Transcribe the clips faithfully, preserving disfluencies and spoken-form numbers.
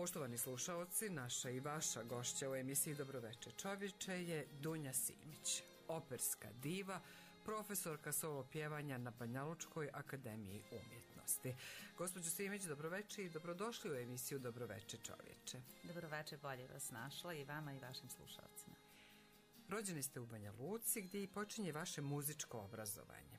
Poštovani slušaoci, naša i vaša gošća u emisiji Dobroveče čovječe je Dunja Simić, operska diva, profesorka solo pjevanja na Banjalučkoj akademiji umjetnosti. Gospođo Simić, dobroveče i dobrodošli u emisiju Dobroveče čovječe. Dobroveče, bolje vas našla i vama i vašim slušalcima. Rođeni ste u Banja Luci gdje i počinje vaše muzičko obrazovanje.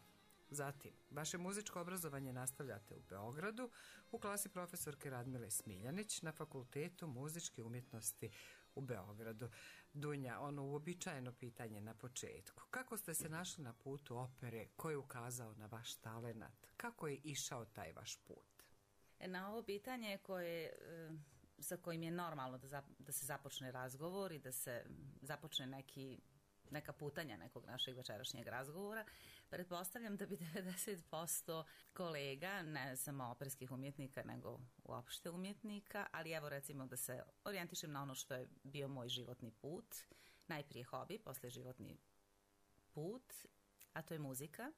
Zatim, vaše muzičko obrazovanje nastavljate u Beogradu u klasi profesorke Radmile Smiljanić na Fakultetu muzičke umjetnosti u Beogradu. Dunja, ono uobičajeno pitanje na početku. Kako ste se našli na putu opere? Ko je ukazao na vaš talenat? Kako je išao taj vaš put? Na ovo pitanje koje, sa kojim je normalno da, da se započne razgovor i da se započne neki neka putanja nekog našeg večerašnjeg razgovora, pretpostavljam da bi devedeset posto kolega, ne samo operskih umjetnika, nego uopšte umjetnika, ali evo recimo da se orijentišem na ono što je bio moj životni put, najprije hobi, posle životni put, a to je muzika.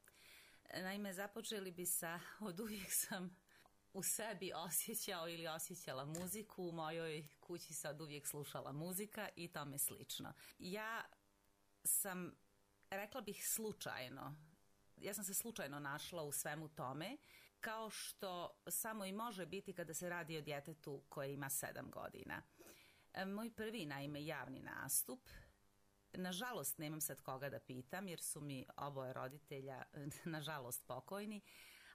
Naime, započeli bi sa, od uvijek sam u sebi osjećao ili osjećala muziku, u mojoj kući se od uvijek slušala muzika i tome slično. Ja sam, rekla bih slučajno, ja sam se slučajno našla u svemu tome, kao što samo i može biti kada se radi o djetetu koje ima sedam godina. Moj prvi, naime, javni nastup, nažalost nemam sad koga da pitam jer su mi oboje roditelja nažalost pokojni,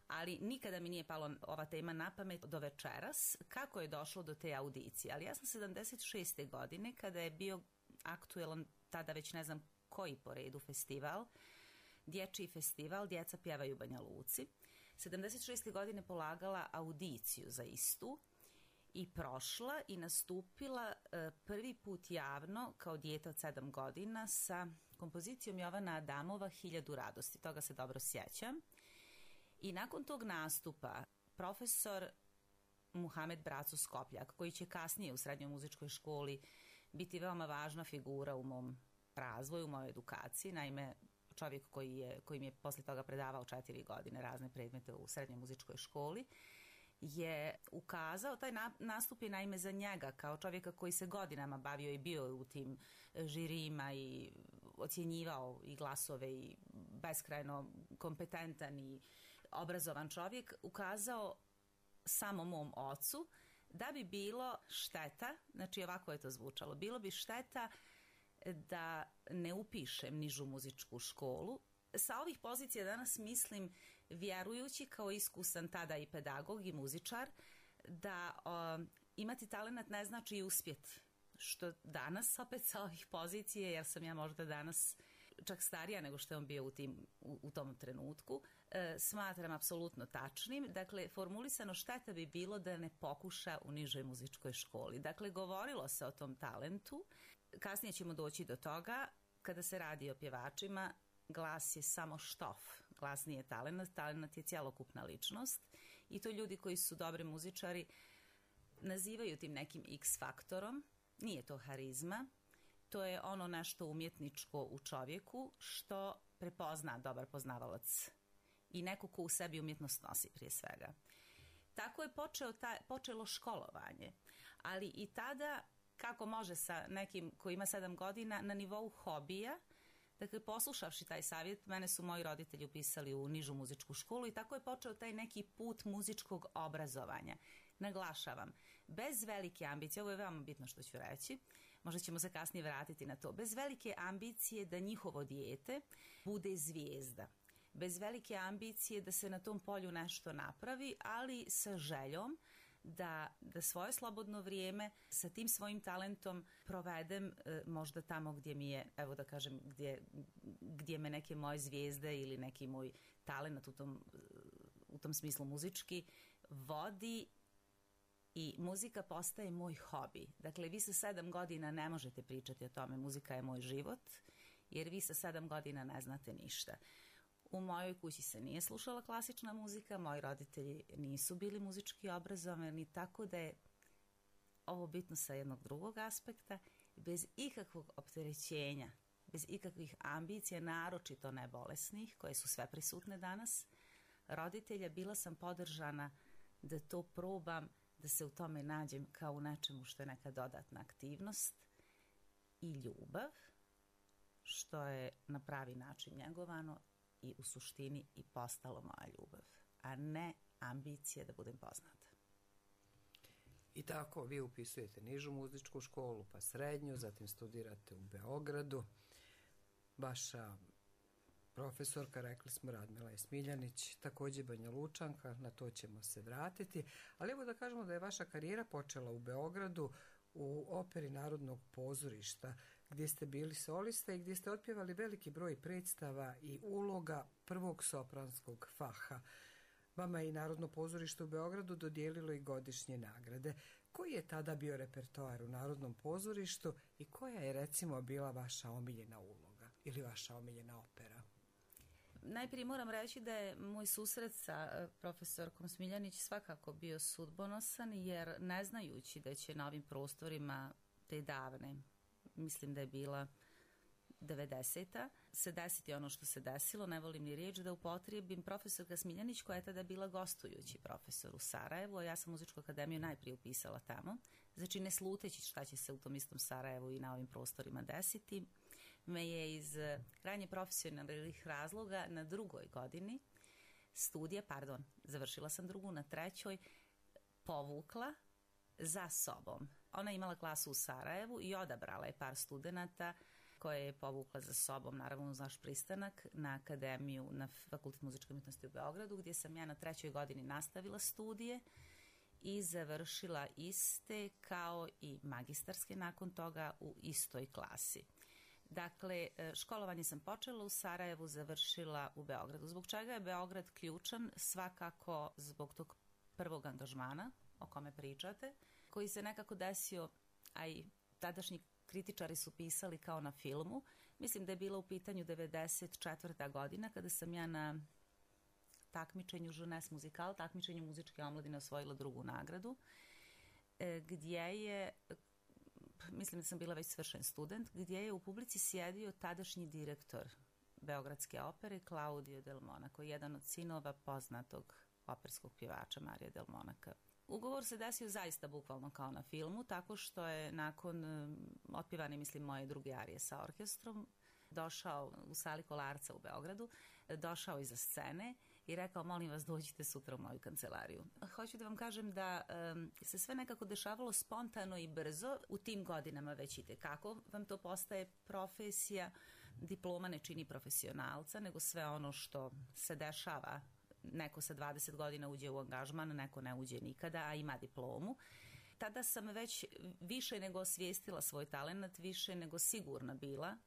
ali nikada mi nije palo ova tema na pamet do večeras kako je došlo do te audicije. Ali ja sam sedamdeset šeste godine kada je bio aktuelan, tada već ne znam koji po redu festival, dječji festival, djeca pjevaju u Banja Luci. sedamdeset šeste godine polagala audiciju za istu i prošla i nastupila e, prvi put javno kao dijete od sedam godina sa kompozicijom Jovana Adamova Hiljadu radosti. Toga se dobro sjećam. I nakon tog nastupa profesor Muhamed Braco Skopljak, koji će kasnije u srednjoj muzičkoj školi biti veoma važna figura u mom razvoju, u mojoj edukaciji, naime čovjek koji je, koji mi je posle toga predavao četiri godine razne predmete u srednjoj muzičkoj školi, je ukazao, taj nastup je naime za njega kao čovjeka koji se godinama bavio i bio u tim žirijima i ocjenjivao i glasove i beskrajno kompetentan i obrazovan čovjek, ukazao samo mom ocu da bi bilo šteta, znači ovako je to zvučalo, bilo bi šteta da ne upišem nižu muzičku školu. Sa ovih pozicija danas mislim, vjerujući kao iskusan tada i pedagog i muzičar, da o, imati talenat ne znači i uspjeti. Što danas opet sa ovih pozicije, jer sam ja možda danas čak starija nego što je on bio u, tim, u, u tom trenutku, e, smatram apsolutno tačnim. Dakle, formulisano šteta bi bilo da ne pokuša u nižoj muzičkoj školi. Dakle, govorilo se o tom talentu. Kasnije ćemo doći do toga, kada se radi o pjevačima, glas je samo štof, glas nije talenat, talenat je cjelokupna ličnost i to ljudi koji su dobri muzičari nazivaju tim nekim X faktorom. Nije to harizma, to je ono nešto umjetničko u čovjeku što prepozna dobar poznavalac i neko ko u sebi umjetnost nosi prije svega. Tako je počeo ta, počelo školovanje, ali i tada, kako može sa nekim koji ima sedam godina, na nivou hobija. Dakle, poslušavši taj savjet, mene su moji roditelji upisali u nižu muzičku školu i tako je počeo taj neki put muzičkog obrazovanja. Naglašavam, bez velike ambicije, ovo je veoma bitno što ću reći, možda ćemo se kasnije vratiti na to, bez velike ambicije da njihovo dijete bude zvijezda, bez velike ambicije da se na tom polju nešto napravi, ali sa željom Da, da svoje slobodno vrijeme sa tim svojim talentom provedem e, možda tamo gdje mi je, evo da kažem, gdje, gdje me neke moje zvijezde ili neki moj talent u tom, u tom smislu muzički vodi i muzika postaje moj hobi. Dakle, vi sa sedam godina ne možete pričati o tome, muzika je moj život, jer vi sa sedam godina ne znate ništa. U mojoj kući se nije slušala klasična muzika, moji roditelji nisu bili muzički obrazovani, tako da je ovo bitno sa jednog drugog aspekta, bez ikakvog opterećenja, bez ikakvih ambicija, naročito ne bolesnih, koje su sve prisutne danas, roditelja, bila sam podržana da to probam da se u tome nađem kao u nečemu što je neka dodatna aktivnost i ljubav, što je na pravi način njegovano i u suštini i postalo moja ljubav, a ne ambicije da budem poznata. I tako vi upisujete nižu muzičku školu, pa srednju, zatim studirate u Beogradu. Vaša profesorka, rekli smo, Radmila je Smiljanić, također Banja Lučanka, na to ćemo se vratiti. Ali evo da kažemo da je vaša karijera počela u Beogradu u Operi Narodnog pozorišta, gdje ste bili solista i gdje ste otpjevali veliki broj predstava i uloga prvog sopranskog faha. Vama je i Narodno pozorište u Beogradu dodijelilo i godišnje nagrade. Koji je tada bio repertoar u Narodnom pozorištu i koja je, recimo, bila vaša omiljena uloga ili vaša omiljena opera? Najprije moram reći da je moj susret sa profesorkom Smiljanić svakako bio sudbonosan, jer ne znajući da će na ovim prostorima te davne, mislim da je bila devedeseta, se desiti ono što se desilo, ne volim ni riječ da upotrijebim, profesorka Smiljanić, koja je tada bila gostujući profesor u Sarajevu, a ja sam muzičku akademiju najprije upisala tamo, znači ne sluteći šta će se u tom istom Sarajevu i na ovim prostorima desiti, me je iz krajnje profesionalnih razloga na drugoj godini studija, pardon, završila sam drugu, na trećoj, povukla za sobom. Ona je imala klasu u Sarajevu i odabrala je par studenata koje je povukla za sobom, naravno uz naš pristanak, na akademiju, na Fakultet muzičke umjetnosti u Beogradu, gdje sam ja na trećoj godini nastavila studije i završila iste kao i magistarske nakon toga u istoj klasi. Dakle, školovanje sam počela u Sarajevu, završila u Beogradu. Zbog čega je Beograd ključan? Svakako zbog tog prvog angažmana o kome pričate, koji se nekako desio, a i tadašnji kritičari su pisali kao na filmu. Mislim da je bila u pitanju devedeset četvrta godina, kada sam ja na takmičenju Jeunesse Musicale, takmičenju muzičke omladine, osvojila drugu nagradu, gdje je, mislim da sam bila već svršen student, gdje je u publici sjedio tadašnji direktor Beogradske opere, Claudio Del Monaco, jedan od sinova poznatog operskog pjevača Marija Del Monaca. Ugovor se desio zaista bukvalno kao na filmu, tako što je nakon otpjevane, mislim, moje druge arije sa orkestrom, došao u sali Kolarca u Beogradu, došao iza scene i rekao, molim vas, dođite sutra u moju kancelariju. Hoću da vam kažem da um, se sve nekako dešavalo spontano i brzo, u tim godinama već ide. Kako vam to postaje profesija, diploma ne čini profesionalca, nego sve ono što se dešava. Neko sa dvadeset godina uđe u angažman, neko ne uđe nikada, a ima diplomu. Tada sam već više nego osvijestila svoj talent, više nego sigurna bila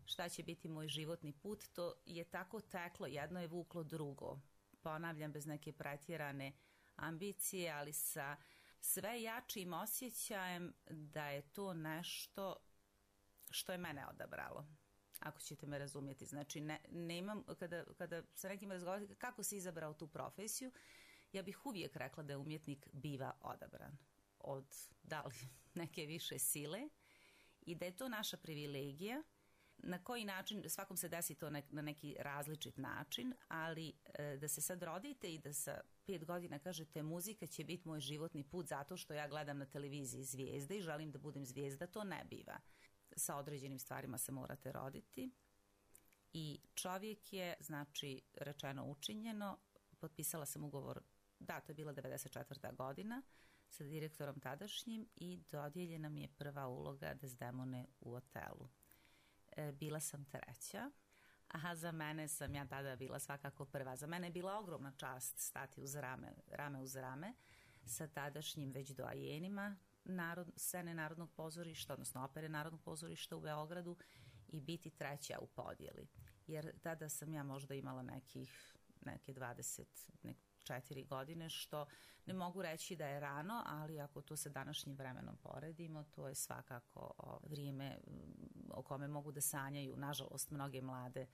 šta će biti moj životni put. To je tako teklo, jedno je vuklo drugo. Ponavljam, bez neke pretjerane ambicije, ali sa sve jačim osjećajem da je to nešto što je mene odabralo. Ako ćete me razumjeti. Znači, ne, nemam, kada, kada sa nekim razgovarati kako si izabrao tu profesiju, ja bih uvijek rekla da je umjetnik biva odabran od da li neke više sile i da je to naša privilegija. Na koji način, svakom se desi to nek, na neki različit način, ali e, da se sad rodite i da sa pet godina kažete muzika će biti moj životni put zato što ja gledam na televiziji zvijezde i želim da budem zvijezda, to ne biva. Sa određenim stvarima se morate roditi i čovjek je, znači, rečeno učinjeno, potpisala sam ugovor, da, to je bila devedeset četvrta godina, sa direktorom tadašnjim i dodijeljena mi je prva uloga Desdemone u Otelu. E, bila sam treća, a za mene sam ja tada bila svakako prva. Za mene je bila ogromna čast stati uz rame, rame uz rame sa tadašnjim već doajenima Narod, scene Narodnog pozorišta, odnosno opere Narodnog pozorišta u Beogradu i biti treća u podjeli. Jer tada sam ja možda imala nekih, neke dvadeset četiri godine, što ne mogu reći da je rano, ali ako to sa današnjim vremenom poredimo, to je svakako o, vrijeme o kome mogu da sanjaju, nažalost, mnoge mlade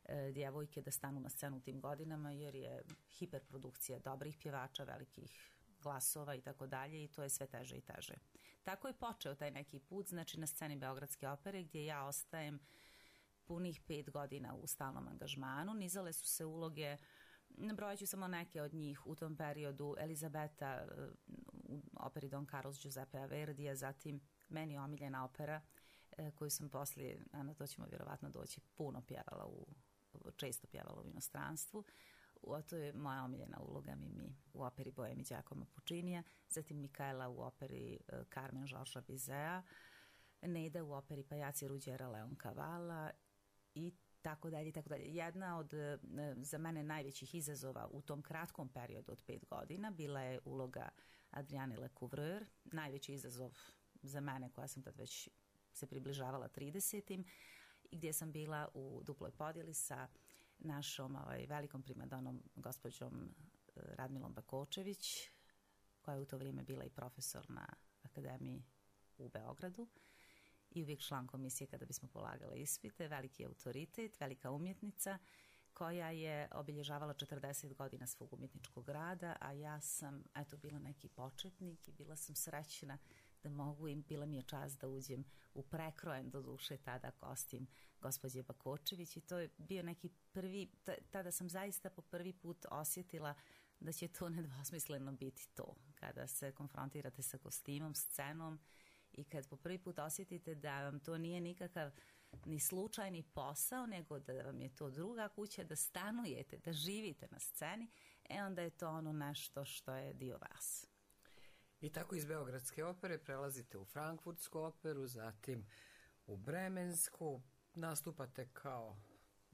e, djevojke da stanu na scenu u tim godinama, jer je hiperprodukcija dobrih pjevača, velikih glasova i tako dalje i to je sve teže i teže. Tako je počeo taj neki put, znači na sceni Beogradske opere gdje ja ostajem punih pet godina u stalnom angažmanu. Nizale su se uloge, nabrojat ću samo neke od njih u tom periodu, Elizabeta u operi Don Carlos Giuseppea Verdija, zatim meni omiljena opera e, koju sam poslije, a na to ćemo vjerovatno doći, puno pjevala, u, često pjevala u inostranstvu. O, to je moja omiljena uloga Mimi u operi Boemi Giacomo Puccinija, zatim Mikaela u operi e, Carmen Georgesa Bizeta, Neda u operi Pajaci Ruđera Leoncavala i tako dalje, tako dalje. Jedna od e, za mene najvećih izazova u tom kratkom periodu od pet godina bila je uloga Adriane Lecouvreur, najveći izazov za mene koja sam tad već se približavala tridesetim i gdje sam bila u duploj podjeli sa našom ovaj, velikom primadonom gospođom Radmilom Bakočević, koja je u to vrijeme bila i profesor na akademiji u Beogradu i uvijek član komisije kada bismo polagale ispite, veliki autoritet, velika umjetnica koja je obilježavala četrdeset godina svog umjetničkog rada, a ja sam eto bila neki početnik i bila sam srećna da mogu im, bila mi je čast da uđem u prekrojen do duše tada kostim gospođe Bakočević i to je bio neki prvi, tada sam zaista po prvi put osjetila da će to nedvosmisleno biti to, kada se konfrontirate sa kostimom, scenom i kad po prvi put osjetite da vam to nije nikakav ni slučajni posao, nego da vam je to druga kuća, da stanujete, da živite na sceni, e onda je to ono nešto što je dio vas. I tako iz Beogradske opere prelazite u Frankfurtsku operu, zatim u Bremensku, nastupate kao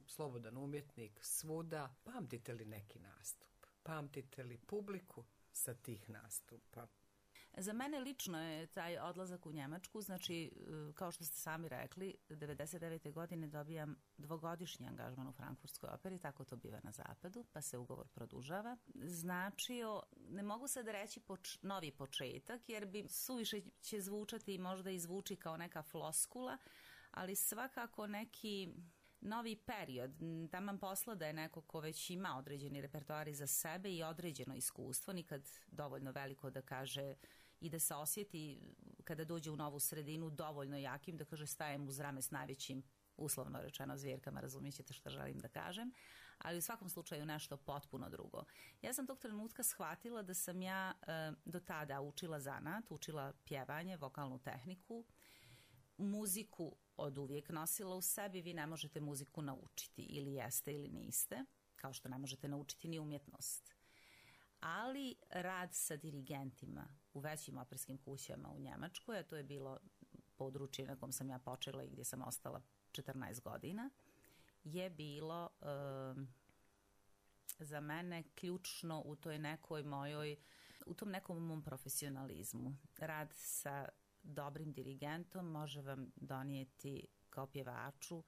slobodan umjetnik svuda. Pamtite li neki nastup? Pamtite li publiku sa tih nastupa? Za mene lično je taj odlazak u Njemačku, znači, kao što ste sami rekli, devedeset devete godine dobijam dvogodišnji angažman u Frankfurtskoj operi, tako to biva na zapadu, pa se ugovor produžava. Značio, ne mogu sad reći poč, novi početak, jer bi suviše će zvučati i možda i zvuči kao neka floskula, ali svakako neki novi period, taman posla da je neko ko već ima određeni repertoar za sebe i određeno iskustvo, nikad dovoljno veliko da kaže i da se osjeti kada dođe u novu sredinu dovoljno jakim da kaže stajem uz rame s najvećim, uslovno rečeno, zvjerkama, razumijećete što želim da kažem, ali u svakom slučaju nešto potpuno drugo. Ja sam tog trenutka shvatila da sam ja e, do tada učila zanat, učila pjevanje, vokalnu tehniku, muziku od uvijek nosila u sebi, vi ne možete muziku naučiti, ili jeste ili niste, kao što ne možete naučiti ni umjetnost. Ali rad sa dirigentima u većim operskim kućama u Njemačkoj, a to je bilo područje na kom sam ja počela i gdje sam ostala četrnaest godina, je bilo e, za mene ključno u toj nekoj mojoj, u tom nekom mom profesionalizmu. Rad sa dobrim dirigentom može vam donijeti kao pjevaču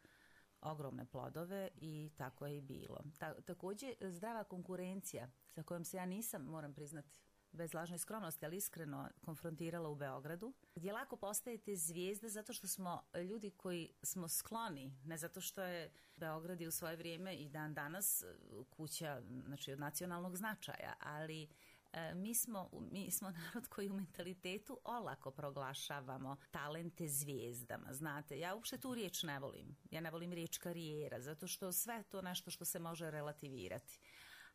ogromne plodove i tako je i bilo. Ta, također zdrava konkurencija sa kojom se ja nisam, moram priznati, bez lažne skromnosti, ali iskreno konfrontirala u Beogradu, gdje lako postajete zvijezda zato što smo ljudi koji smo skloni, ne zato što je Beograd i u svoje vrijeme i dan danas kuća, znači, od nacionalnog značaja, ali e, mi smo, mi smo narod koji u mentalitetu olako proglašavamo talente zvijezdama, znate. Ja uopšte tu riječ ne volim. Ja ne volim riječ karijera, zato što sve to nešto što se može relativirati.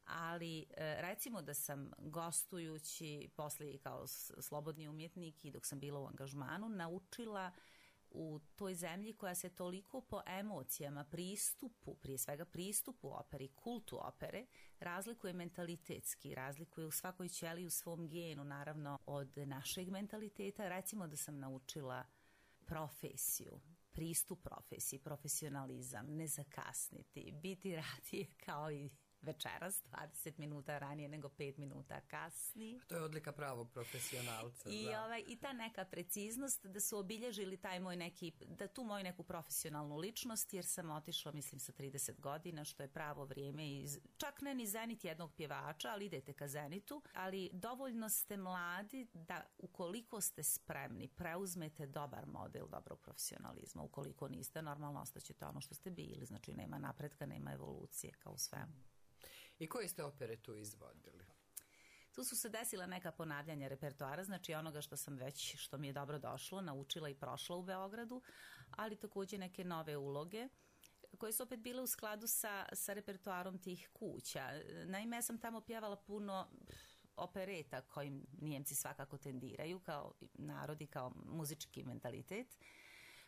Ali recimo da sam gostujući poslije i kao slobodni umjetnik i dok sam bila u angažmanu naučila u toj zemlji koja se toliko po emocijama, pristupu, prije svega pristupu operi, kultu opere, razlikuje mentalitetski, razlikuje u svakoj ćeliji u svom genu, naravno, od našeg mentaliteta. Recimo da sam naučila profesiju, pristup profesiji, profesionalizam, ne zakasniti, biti radije kao i večeras, dvadeset minuta ranije nego pet minuta kasnije. To je odlika pravog profesionalca. I, ovaj, I ta neka preciznost da su obilježili taj moj neki, da tu moju neku profesionalnu ličnost, jer sam otišla, mislim, sa trideset godina, što je pravo vrijeme i čak ne ni zenit jednog pjevača, ali idete ka zenitu, ali dovoljno ste mladi da ukoliko ste spremni, preuzmete dobar model dobrog profesionalizma. Ukoliko niste, normalno ostaćete ono što ste bili, znači nema napretka, nema evolucije, kao u svemu. I koje ste opere tu izvodili? Tu su se desila neka ponavljanja repertoara, znači onoga što sam već, što mi je dobro došlo, naučila i prošla u Beogradu, ali također neke nove uloge koje su opet bile u skladu sa, sa repertoarom tih kuća. Naime, ja sam tamo pjevala puno opereta kojim Nijemci svakako tendiraju kao narodi, kao muzički mentalitet.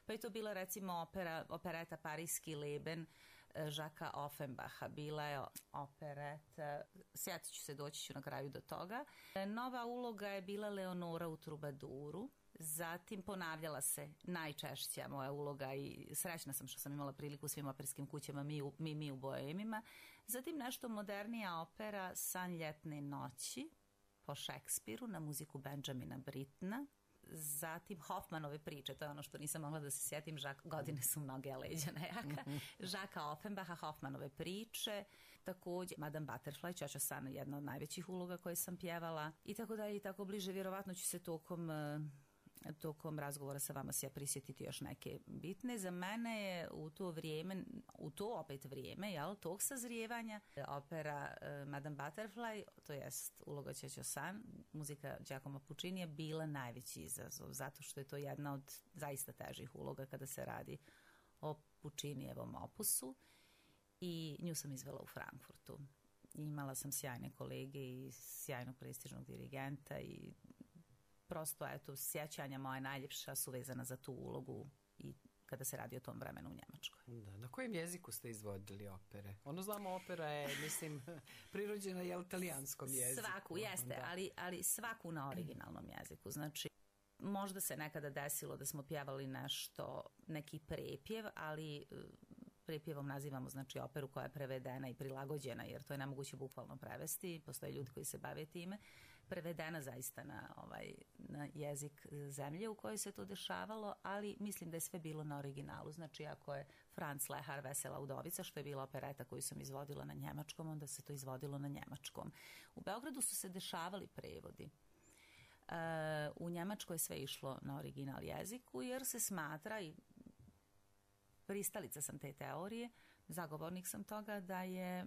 Pa je to bila recimo opera, opereta Parijski Leben Žaka Offenbacha, bila je opereta, sjetit ću se, doći ću na kraju do toga. Nova uloga je bila Leonora u Trubaduru, zatim ponavljala se najčešća moja uloga i srećna sam što sam imala priliku u svim operskim kućama Mi, mi, mi u Boemima. Zatim nešto modernija opera San ljetne noći po Šekspiru na muziku Benjamina Brittona. Zatim Hoffmanove priče, to je ono što nisam mogla da se sjetim, Žak, godine su mnoge, a leđa nejaka. Žaka Offenbacha, Hoffmanove priče, također Madame Butterfly, Ćoća San, jedna od najvećih uloga koje sam pjevala i tako dalje i tako bliže. Vjerovatno ću se tokom tokom razgovora sa vama se ja prisjetiti još neke bitne. Za mene je u to vrijeme, u to opet vrijeme, jel, tog sazrijevanja, opera uh, Madame Butterfly, to jest uloga Ćoća San, muzika Giacomo Puccinija, bila najveći izazov, zato što je to jedna od zaista težih uloga kada se radi o Puccinijevom opusu i nju sam izvela u Frankfurtu. Imala sam sjajne kolege i sjajnog prestižnog dirigenta i prosto, eto, sjećanja moja najljepša su vezana za tu ulogu i kada se radi o tom vremenu u Njemačkoj. Da, na kojem jeziku ste izvodili opere? Ono znamo, opera je, mislim, prirođena je u italijanskom jeziku. Svaku, jeste, da. ali, ali svaku na originalnom jeziku. Znači, možda se nekada desilo da smo pjevali nešto, neki prepjev, ali prepjevom nazivamo, znači, operu koja je prevedena i prilagođena, jer to je nemoguće bukvalno prevesti, postoje ljudi koji se bave time, prevedena zaista na, ovaj, na jezik zemlje u kojoj se to dešavalo, ali mislim da je sve bilo na originalu. Znači, ako je Franz Lehar Vesela udovica, što je bila opereta koju sam izvodila na njemačkom, onda se to izvodilo na njemačkom. U Beogradu su se dešavali prevodi. E, u Njemačkoj je sve išlo na original jeziku, jer se smatra, i pristalica sam te teorije, zagovornik sam toga da je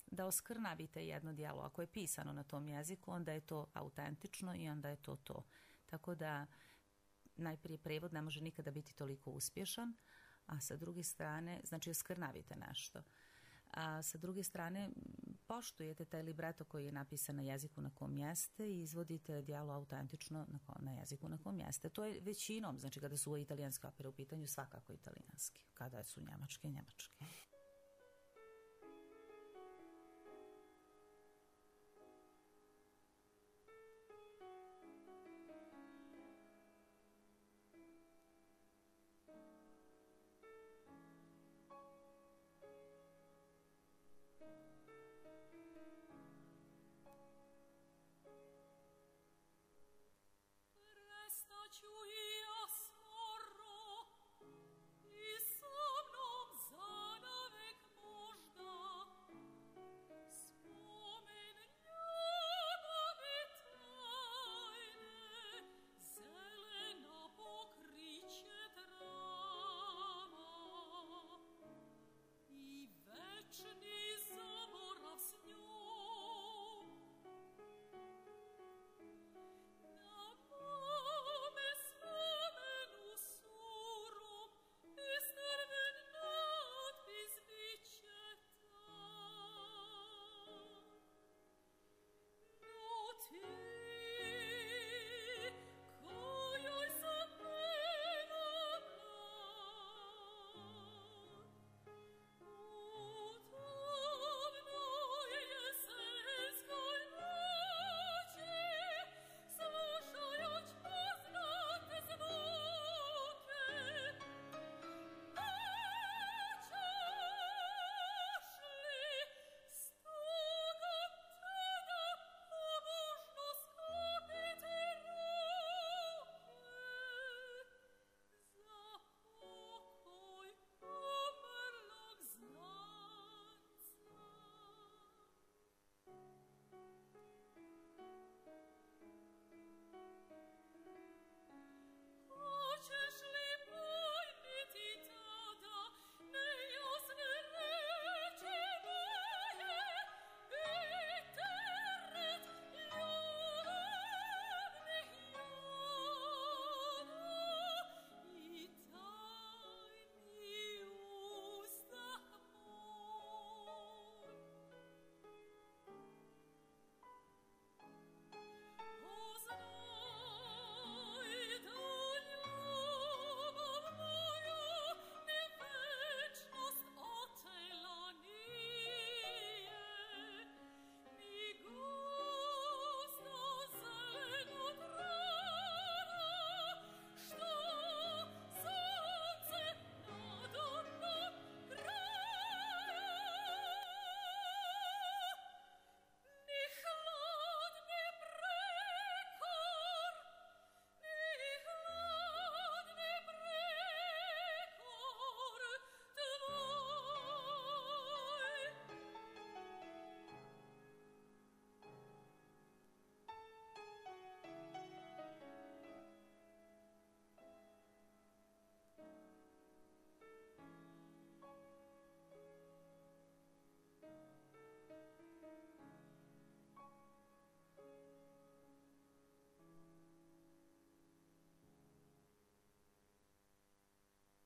da oskrnavite jedno djelo. Ako je pisano na tom jeziku, onda je to autentično i onda je to to. Tako da najprije prevod ne može nikada biti toliko uspješan, a sa druge strane, znači oskrnavite nešto. A sa druge strane, poštujete taj libreto koji je napisan na jeziku na kom jeste i izvodite djelo autentično na, na jeziku na kom jeste. To je većinom, znači kada su italijanske opere u pitanju, svakako italijanski. Kada su njemačke, njemačke. Wieczny zamach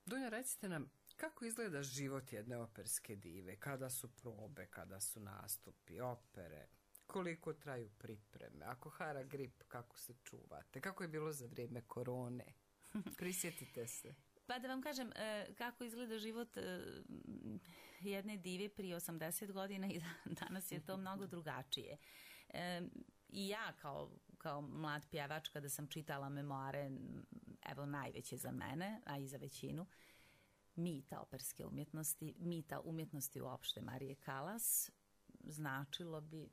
Dunja, recite nam, kako izgleda život jedne operske dive? Kada su probe, kada su nastupi, opere? Koliko traju pripreme? Ako hara grip, kako se čuvate? Kako je bilo za vrijeme korone? Prisjetite se. Pa da vam kažem, kako izgleda život jedne dive prije osamdeset godina i danas je to mnogo drugačije. I ja kao, kao mlad pjevač, kada sam čitala memoare, evo najveće za mene, a i za većinu, mita operske umjetnosti, mita umjetnosti uopšte Marije Kalas, značilo bi,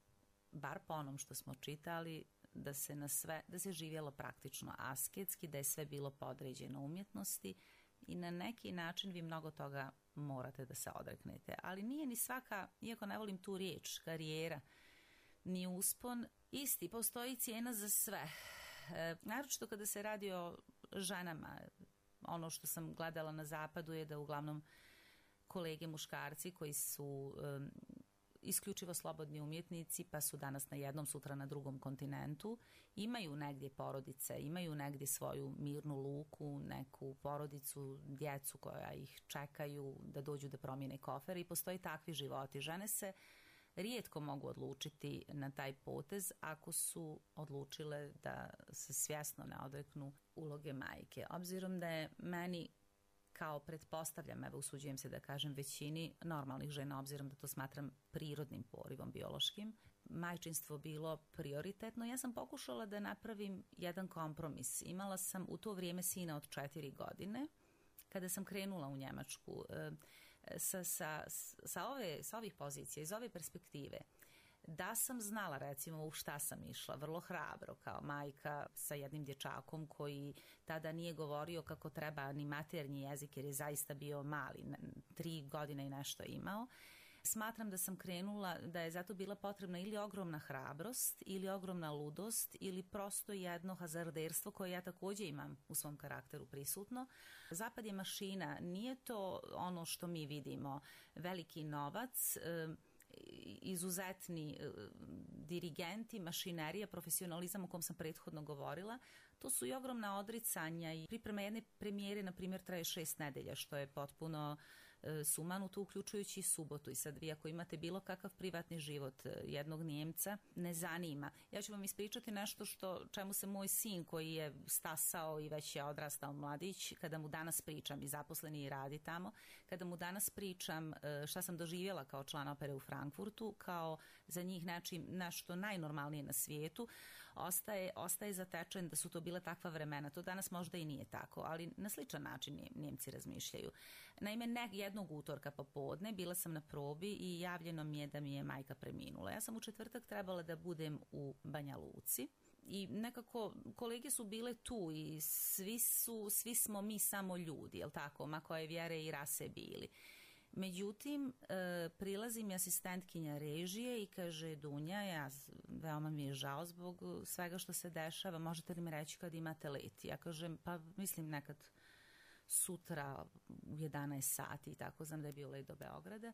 bar po onom što smo čitali, da se na sve, da se živjelo praktično asketski, da je sve bilo podređeno umjetnosti i na neki način vi mnogo toga morate da se odreknete. Ali nije ni svaka, iako ne volim tu riječ, karijera, ni uspon, isti, postoji cijena za sve. E, naročito kada se radi o ženama, ono što sam gledala na zapadu je da uglavnom kolege muškarci koji su um, isključivo slobodni umjetnici, pa su danas na jednom, sutra na drugom kontinentu, imaju negdje porodice, imaju negdje svoju mirnu luku, neku porodicu, djecu koja ih čekaju da dođu da promijene kofer i postoji takvi životi. Žene se rijetko mogu odlučiti na taj potez ako su odlučile da se svjesno ne odreknu uloge majke. Obzirom da je meni, kao pretpostavljam, evo usuđujem se da kažem većini normalnih žena, obzirom da to smatram prirodnim porivom biološkim, majčinstvo bilo prioritetno, ja sam pokušala da napravim jedan kompromis. Imala sam u to vrijeme sina od četiri godine, kada sam krenula u Njemačku. Sa, sa, sa, ove, sa ovih pozicija, iz ove perspektive, da sam znala recimo u šta sam išla, vrlo hrabro kao majka sa jednim dječakom koji tada nije govorio kako treba ni maternji jezik jer je zaista bio mali, tri godine i nešto imao. Smatram da sam krenula, da je zato bila potrebna ili ogromna hrabrost, ili ogromna ludost, ili prosto jedno hazarderstvo koje ja također imam u svom karakteru prisutno. Zapad je mašina, nije to ono što mi vidimo, veliki novac, izuzetni dirigenti, mašinerija, profesionalizam o kom sam prethodno govorila. To su i ogromna odricanja i priprema jedne premijere, na primjer, traje šest nedelja, što je potpuno sumanuto, uključujući subotu. I sad vi ako imate bilo kakav privatni život jednog Njemca, ne zanima. Ja ću vam ispričati nešto što, čemu se moj sin koji je stasao i već je odrastao mladić, kada mu danas pričam, i zaposleni i radi tamo, kada mu danas pričam šta sam doživjela kao član opere u Frankfurtu, kao za njih znači nešto najnormalnije na svijetu, ostaje, ostaje zatečen da su to bile takva vremena. To danas možda i nije tako, ali na sličan način Njemci razmišljaju. Naime, ne, jednog utorka popodne bila sam na probi i javljeno mi je da mi je majka preminula. Ja sam u četvrtak trebala da budem u Banja Luci i nekako kolege su bile tu i svi, su, svi smo mi samo ljudi, jel tako, ma koje vjere i rase bili. Međutim, e, prilazi mi asistentkinja režije i kaže: Dunja, ja, veoma mi je žao zbog svega što se dešava, možete li mi reći kad imate let? Ja kažem, pa mislim nekad sutra u jedanaest sati i tako, znam da je bio let do Beograda.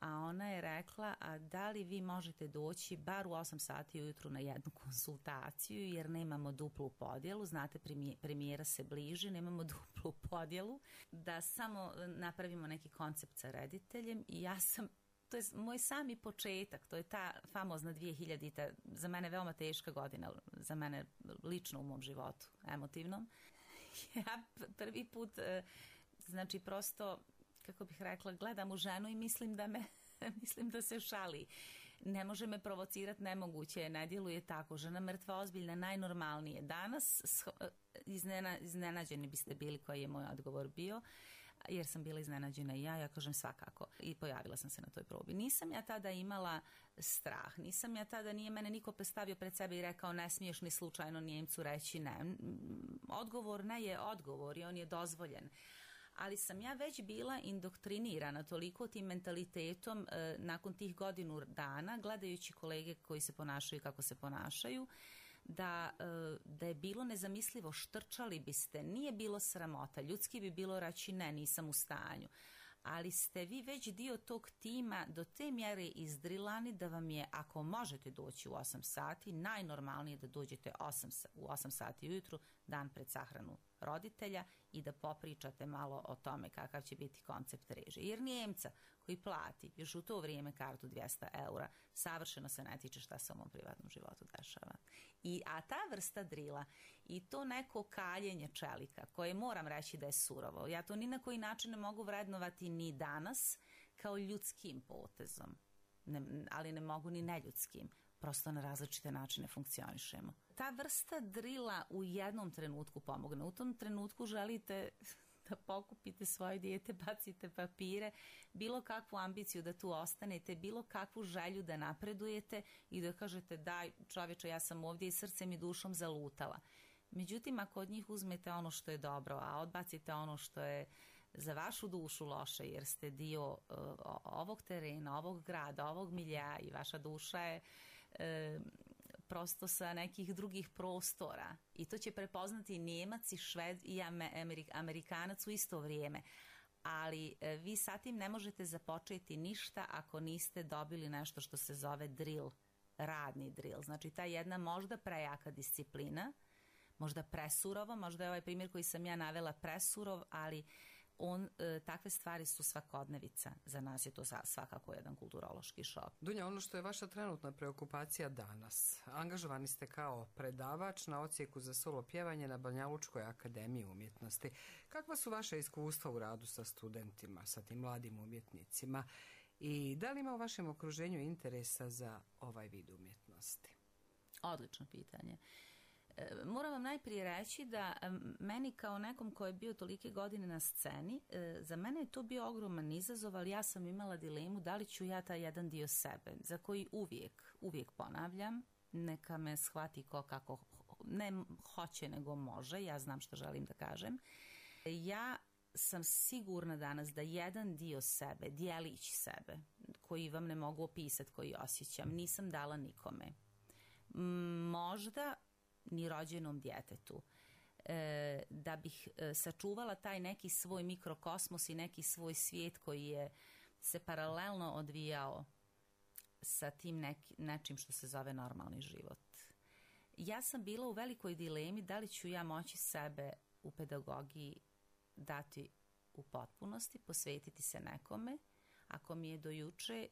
A ona je rekla: a da li vi možete doći bar u osam sati ujutru na jednu konsultaciju, jer nemamo duplu podjelu, znate, premijera se bliži, nemamo duplu podjelu, da samo napravimo neki koncept sa rediteljem. I ja sam, to je moj sami početak, to je ta famozna dvije hiljadita, za mene veoma teška godina, za mene lično u mom životu, emotivnom. Ja prvi put, znači prosto, kako bih rekla, gledam u ženu i mislim da me, mislim da se šali. Ne može me provocirati, nemoguće, ne djeluje tako. Žena mrtva, ozbiljna, najnormalnije. Danas iznena, iznenađeni biste bili koji je moj odgovor bio, jer sam bila iznenađena i ja, ja kažem svakako. I pojavila sam se na toj probi. Nisam ja tada imala strah, nisam ja tada, nije mene niko postavio pred sebe i rekao ne smiješ ni slučajno Njemcu reći ne. Odgovor ne je odgovor i on je dozvoljen. Ali sam ja već bila indoktrinirana toliko tim mentalitetom e, nakon tih godinu dana, gledajući kolege koji se ponašaju kako se ponašaju, da, e, da je bilo nezamislivo, štrčali biste, nije bilo sramota, ljudski bi bilo reći ne, nisam u stanju. ali ste vi već dio tog tima do te mjere izdrilani da vam je, ako možete doći u osam sati, najnormalnije da dođete osam, u osam sati ujutru, dan pred sahranu roditelja, i da popričate malo o tome kakav će biti koncept režije. Jer Njemca koji plati još u to vrijeme kartu dvjesto eura, savršeno se ne tiče šta se u mom privatnom životu dešava. I, a ta vrsta drila i to neko kaljenje čelika, koje moram reći da je surovo, ja to ni na koji način ne mogu vrednovati ni danas kao ljudskim potezom, ne, ali ne mogu ni neljudskim. Prosto na različite načine funkcionišemo. Ta vrsta drila u jednom trenutku pomogne. U tom trenutku želite da pokupite svoje dijete, bacite papire, bilo kakvu ambiciju da tu ostanete, bilo kakvu želju da napredujete i da kažete daj čovječe, ja sam ovdje i srcem i dušom zalutala. Međutim, ako od njih uzmete ono što je dobro, a odbacite ono što je za vašu dušu loše, jer ste dio uh, ovog terena, ovog grada, ovog milja i vaša duša je E, prosto sa nekih drugih prostora, i to će prepoznati Njemac i Šved i Amerik, Amerikanac u isto vrijeme, ali e, vi sa tim ne možete započeti ništa ako niste dobili nešto što se zove drill, radni drill. Znači ta jedna možda prejaka disciplina, možda presurovo, možda je ovaj primjer koji sam ja navela presurov, ali on, e, takve stvari su svakodnevica. Za nas je to svakako jedan kulturološki šok. Dunja, ono što je vaša trenutna preokupacija danas, angažovani ste kao predavač na odsjeku za solo pjevanje na Banjalučkoj akademiji umjetnosti. Kakva su vaše iskustva u radu sa studentima, sa tim mladim umjetnicima, i da li ima u vašem okruženju interesa za ovaj vid umjetnosti? Odlično pitanje. Moram vam najprije reći da meni kao nekom ko je bio tolike godine na sceni, za mene je to bio ogroman izazov, ali ja sam imala dilemu da li ću ja taj jedan dio sebe, za koji uvijek, uvijek ponavljam, neka me shvati ko kako, ne hoće nego može, ja znam što želim da kažem. Ja sam sigurna danas da jedan dio sebe, dijelić sebe, koji vam ne mogu opisati, koji osjećam, nisam dala nikome. Možda ni rođenom djetetu. E, da bih e, sačuvala taj neki svoj mikrokosmos i neki svoj svijet koji je se paralelno odvijao sa tim neki, nečim što se zove normalni život. Ja sam bila u velikoj dilemi da li ću ja moći sebe u pedagogiji dati u potpunosti, posvetiti se nekome, ako mi je do juče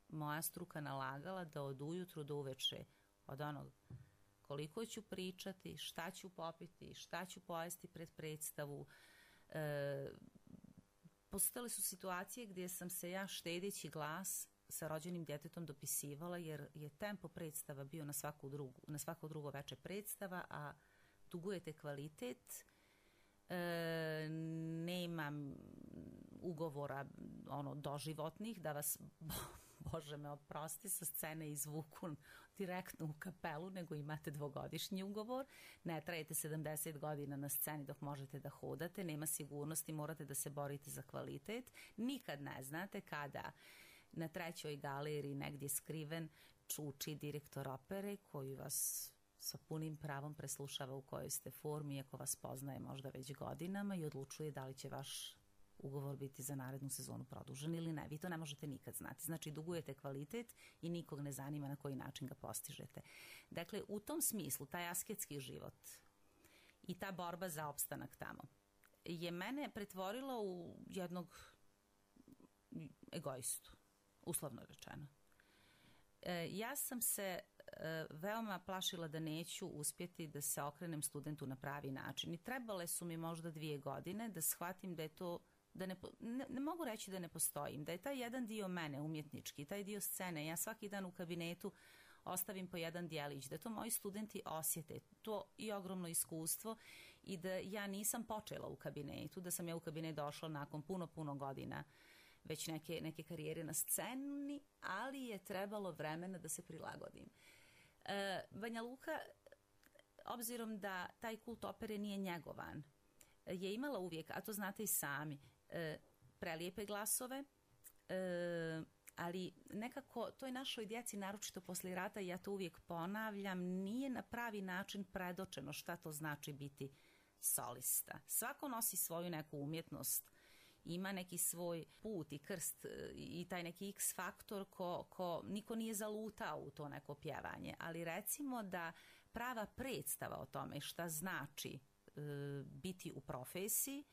moja struka nalagala da od ujutru do uveče, od onog koliko ću pričati, šta ću popiti, šta ću pojesti pred predstavu. E, postojale su situacije gdje sam se ja štedeći glas sa rođenim djetetom dopisivala, jer je tempo predstava bio na, svaku drugu, na svako drugo veče predstava, a dugujete kvalitet, e, nemam ugovora ono, doživotnih da vas... Bože me oprosti, sa scene izvuku direktno u kapelu, nego imate dvogodišnji ugovor, ne trajete sedamdeset godina na sceni dok možete da hodate, nema sigurnosti, morate da se borite za kvalitet, nikad ne znate kada na trećoj galeriji negdje skriven čuči direktor opere koji vas sa punim pravom preslušava u kojoj ste formi, iako vas poznaje možda već godinama, i odlučuje da li će vaš ugovor biti za narednu sezonu produžen ili ne. Vi to ne možete nikad znati. Znači, dugujete kvalitet i nikog ne zanima na koji način ga postižete. Dakle, u tom smislu, taj asketski život i ta borba za opstanak tamo je mene pretvorila u jednog egoistu, uslovno rečeno. E, ja sam se e, veoma plašila da neću uspjeti da se okrenem studentu na pravi način. I trebale su mi možda dvije godine da shvatim da je to da ne, ne, ne mogu reći da ne postojim, da je taj jedan dio mene umjetnički, taj dio scene, ja svaki dan u kabinetu ostavim po jedan dijelić, da to moji studenti osjete, to i ogromno iskustvo, i da ja nisam počela u kabinetu, da sam ja u kabinet došla nakon puno, puno godina već neke, neke karijere na sceni, ali je trebalo vremena da se prilagodim. E, Banja Luka, obzirom da taj kult opere nije njegovan, je imala uvijek, a to znate i sami, e, prelijepe glasove, e, ali nekako toj našoj djeci, naročito poslije rata, ja to uvijek ponavljam, nije na pravi način predočeno šta to znači biti solista. Svako nosi svoju neku umjetnost ima neki svoj put i krst i taj neki X faktor ko, ko niko nije zalutao u to neko pjevanje, ali recimo da prava predstava o tome šta znači e, biti u profesiji,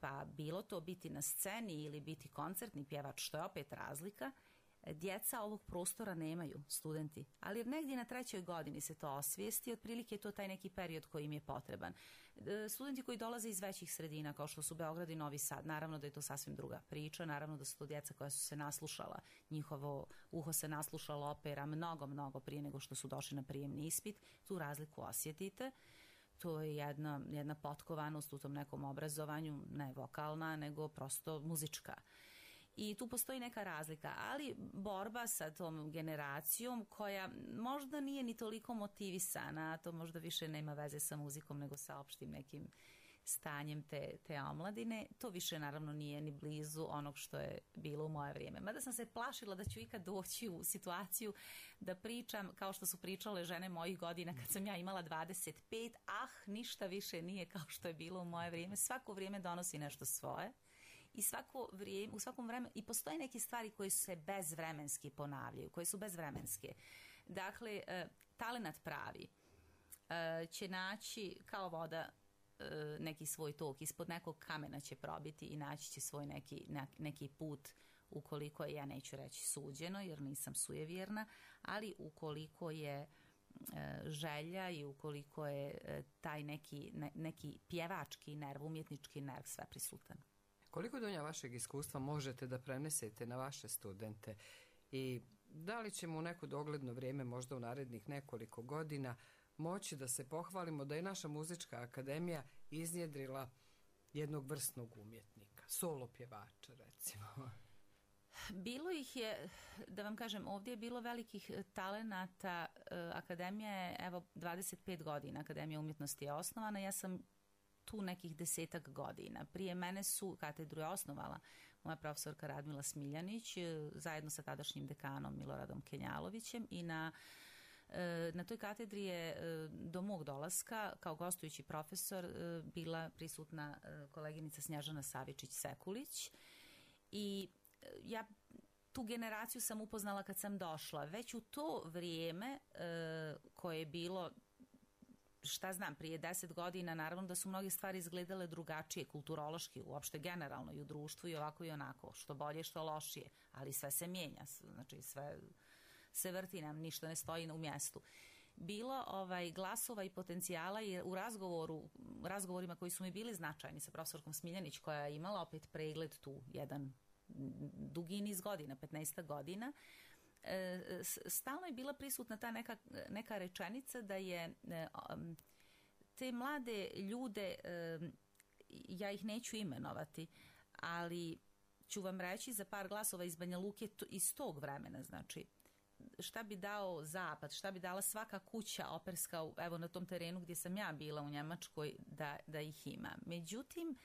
pa bilo to biti na sceni ili biti koncertni pjevač, što je opet razlika, djeca ovog prostora nemaju, studenti, ali negdje na trećoj godini se to osvijesti, otprilike je to taj neki period koji im je potreban. Studenti koji dolaze iz većih sredina, kao što su Beograd i Novi Sad, naravno da je to sasvim druga priča, naravno da su to djeca koja su se naslušala, njihovo uho se naslušalo opera mnogo, mnogo prije nego što su došli na prijemni ispit, tu razliku osjetite. To je jedna, jedna potkovanost u tom nekom obrazovanju, ne vokalna, nego prosto muzička. I tu postoji neka razlika, ali borba sa tom generacijom koja možda nije ni toliko motivisana, to možda više nema veze sa muzikom nego sa opštim nekim stanjem te, te omladine, to više naravno nije ni blizu onog što je bilo u moje vrijeme. Mada sam se plašila da ću ikad doći u situaciju da pričam kao što su pričale žene mojih godina kad sam ja imala dvadeset pet, ah, ništa više nije kao što je bilo u moje vrijeme, svako vrijeme donosi nešto svoje. I svako vrijeme, u svakom vremenu, i postoje neke stvari koje se bezvremenski ponavljaju, koje su bezvremenske. Dakle, e, talenat pravi e, će naći kao voda e, neki svoj tok, ispod nekog kamena će probiti i naći će svoj neki, neki put, ukoliko je, ja neću reći suđeno, jer nisam sujevjerna, ali ukoliko je e, želja i ukoliko je e, taj neki, ne, neki pjevački nerv, umjetnički nerv sve prisutan. Koliko Dunja vašeg iskustva možete da prenesete na vaše studente i da li ćemo u neko dogledno vrijeme, možda u narednih nekoliko godina, moći da se pohvalimo da je naša muzička akademija iznjedrila jednog vrsnog umjetnika, solo pjevača recimo? Bilo ih je, da vam kažem, ovdje je bilo velikih talenata. Akademija je, evo, dvadeset pet godina, Akademija umjetnosti je osnovana, ja sam tu nekih desetak godina. Prije mene su, katedru je osnovala moja profesorka Radmila Smiljanić zajedno sa tadašnjim dekanom Miloradom Kenjalovićem i na, na toj katedri je do mog dolaska kao gostujući profesor bila prisutna koleginica Snježana Savičić-Sekulić i ja tu generaciju sam upoznala kad sam došla. Već u to vrijeme koje je bilo, šta znam, prije deset godina, naravno da su mnoge stvari izgledale drugačije, kulturološki, uopšte generalno i u društvu i ovako i onako, što bolje, što lošije, ali sve se mijenja, znači sve se vrti, nam ništa ne stoji u mjestu. Bilo ovaj, glasova i potencijala je u razgovoru, razgovorima koji su mi bili značajni sa profesorkom Smiljanić, koja je imala opet pregled tu jedan dugi niz godina, petnaest godina, stalno je bila prisutna ta neka, neka rečenica da je te mlade ljude, ja ih neću imenovati, ali ću vam reći za par glasova iz Banja Luke iz tog vremena, znači šta bi dao zapad, šta bi dala svaka kuća operska, evo na tom terenu gdje sam ja bila u Njemačkoj, da, da ih ima. Međutim,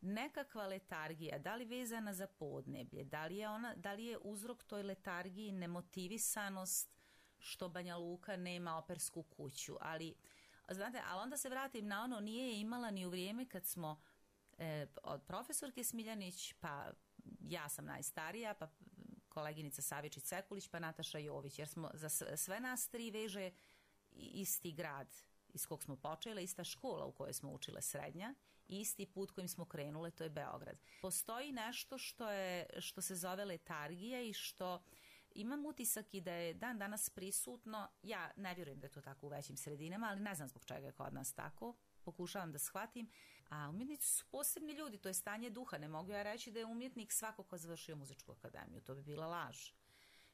nekakva letargija, da li vezana za podneblje, da li je, ona, da li je uzrok toj letargiji nemotivisanost što Banja Luka nema opersku kuću, ali znate, ali onda se vratim na ono, nije je imala ni u vrijeme kad smo e, od profesorke Smiljanić, pa ja sam najstarija, pa koleginica Savičić-Sekulić, pa Nataša Jović, jer smo za sve nas tri veže isti grad iz kog smo počele, ista škola u kojoj smo učile srednja, isti put kojim smo krenule, to je Beograd. Postoji nešto što, je, što se zove letargija i što imam utisak i da je dan danas prisutno, ja ne vjerujem da je to tako u većim sredinama, ali ne znam zbog čega je kod nas tako, pokušavam da shvatim, a umjetnici su posebni ljudi, to je stanje duha, ne mogu ja reći da je umjetnik svako ko završio muzičku akademiju, to bi bila laž.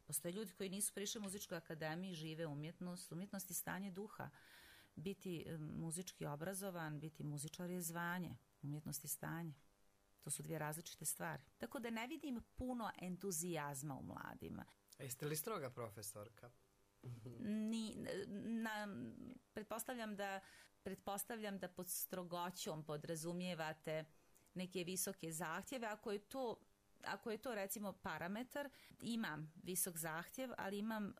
Postoje ljudi koji nisu prišli muzičkoj akademiji, žive umjetnost, umjetnost je stanje duha. Biti muzički obrazovan, biti muzičar je zvanje, umjetnost je stanje. To su dvije različite stvari. Tako da ne vidim puno entuzijazma u mladima. A jeste li stroga profesorka? Ni, na, pretpostavljam da pretpostavljam da pod strogoćom podrazumijevate neke visoke zahtjeve. Ako je to, ako je to recimo parametar, imam visok zahtjev, ali imam e,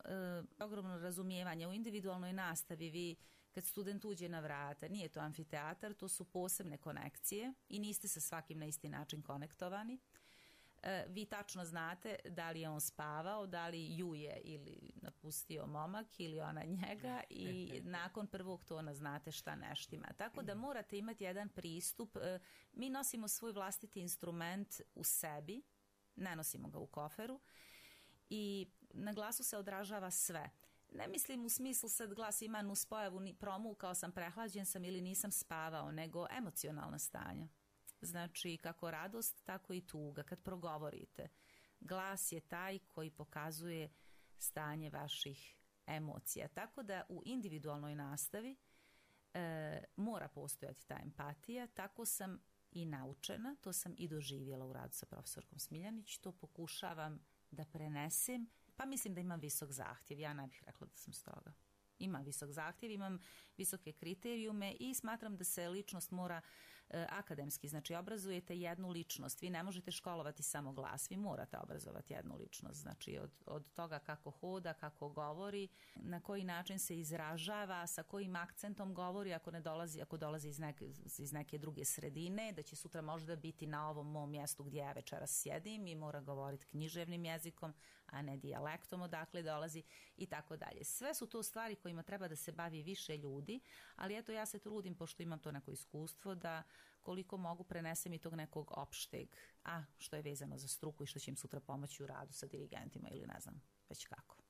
ogromno razumijevanje. U individualnoj nastavi vi kad student uđe na vrata, nije to amfiteatar, to su posebne konekcije i niste sa svakim na isti način konektovani. E, vi tačno znate da li je on spavao, da li ju je ili napustio momak ili ona njega i nakon prvog tona znate šta ne štima. Tako da morate imati jedan pristup. E, mi nosimo svoj vlastiti instrument u sebi, ne nosimo ga u koferu i na glasu se odražava sve. Ne mislim u smislu sad glas ima nuspojavu, promukao sam, prehlađen sam ili nisam spavao, nego emocionalna stanja. Znači, kako radost, tako i tuga. Kad progovorite, glas je taj koji pokazuje stanje vaših emocija. Tako da u individualnoj nastavi e, mora postojati ta empatija. Tako sam i naučena, to sam i doživjela u radu sa profesorkom Smiljanić. To pokušavam da prenesem, pa mislim da imam visok zahtjev. Ja ne bih rekla da sam stoga. Imam visok zahtjev, imam visoke kriterijume i smatram da se ličnost mora e, akademski, znači obrazujete jednu ličnost, vi ne možete školovati samo glas, vi morate obrazovati jednu ličnost, znači od, od toga kako hoda, kako govori, na koji način se izražava, sa kojim akcentom govori, ako ne dolazi, ako dolazi iz neke, iz neke druge sredine, da će sutra možda biti na ovom mom mjestu gdje ja večeras sjedim i mora govoriti književnim jezikom, a ne dijalektom odakle dolazi i tako dalje. Sve su to stvari kojima treba da se bavi više ljudi, ali eto ja se trudim, pošto imam to neko iskustvo, da koliko mogu prenesem i tog nekog opšteg, a što je vezano za struku i što će im sutra pomoći u radu sa dirigentima ili ne znam već kako.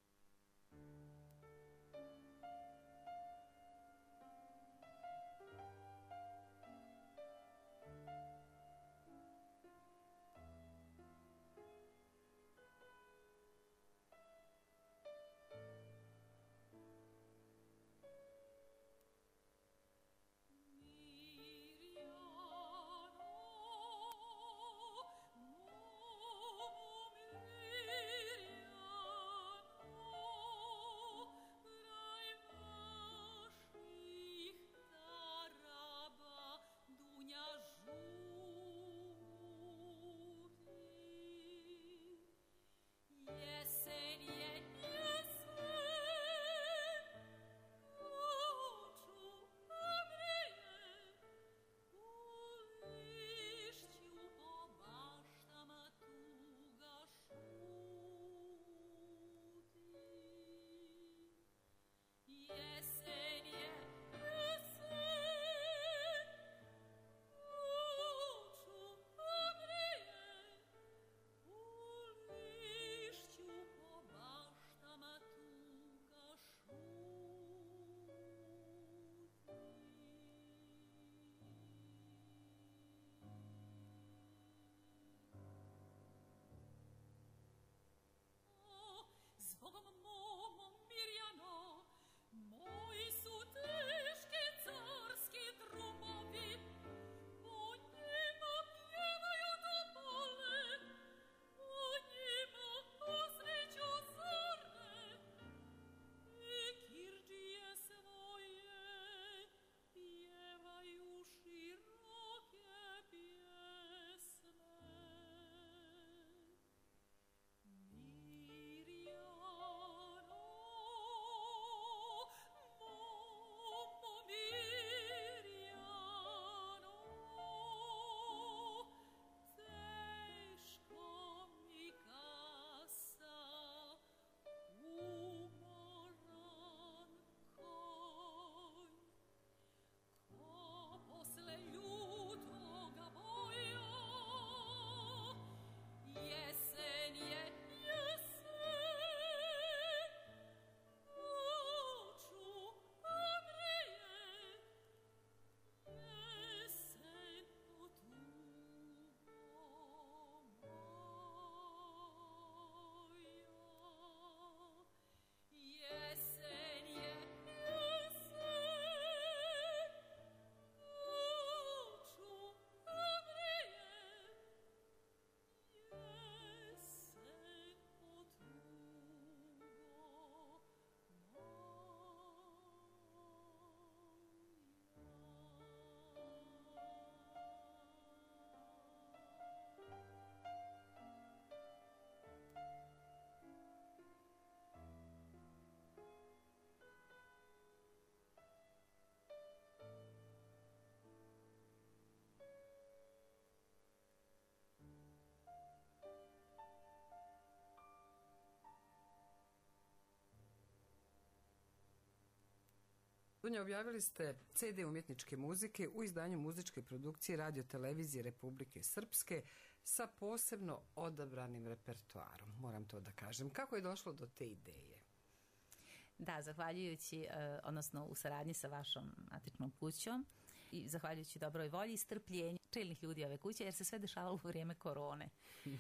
Dunja, objavili ste ce de umjetničke muzike u izdanju muzičke produkcije Radio televizije Republike Srpske sa posebno odabranim repertoarom, moram to da kažem. Kako je došlo do te ideje? Da, zahvaljujući, odnosno u saradnji sa vašom matičnom kućom i zahvaljujući dobroj volji i strpljenju čelnih ljudi ove kuće, jer se sve dešavalo u vrijeme korone.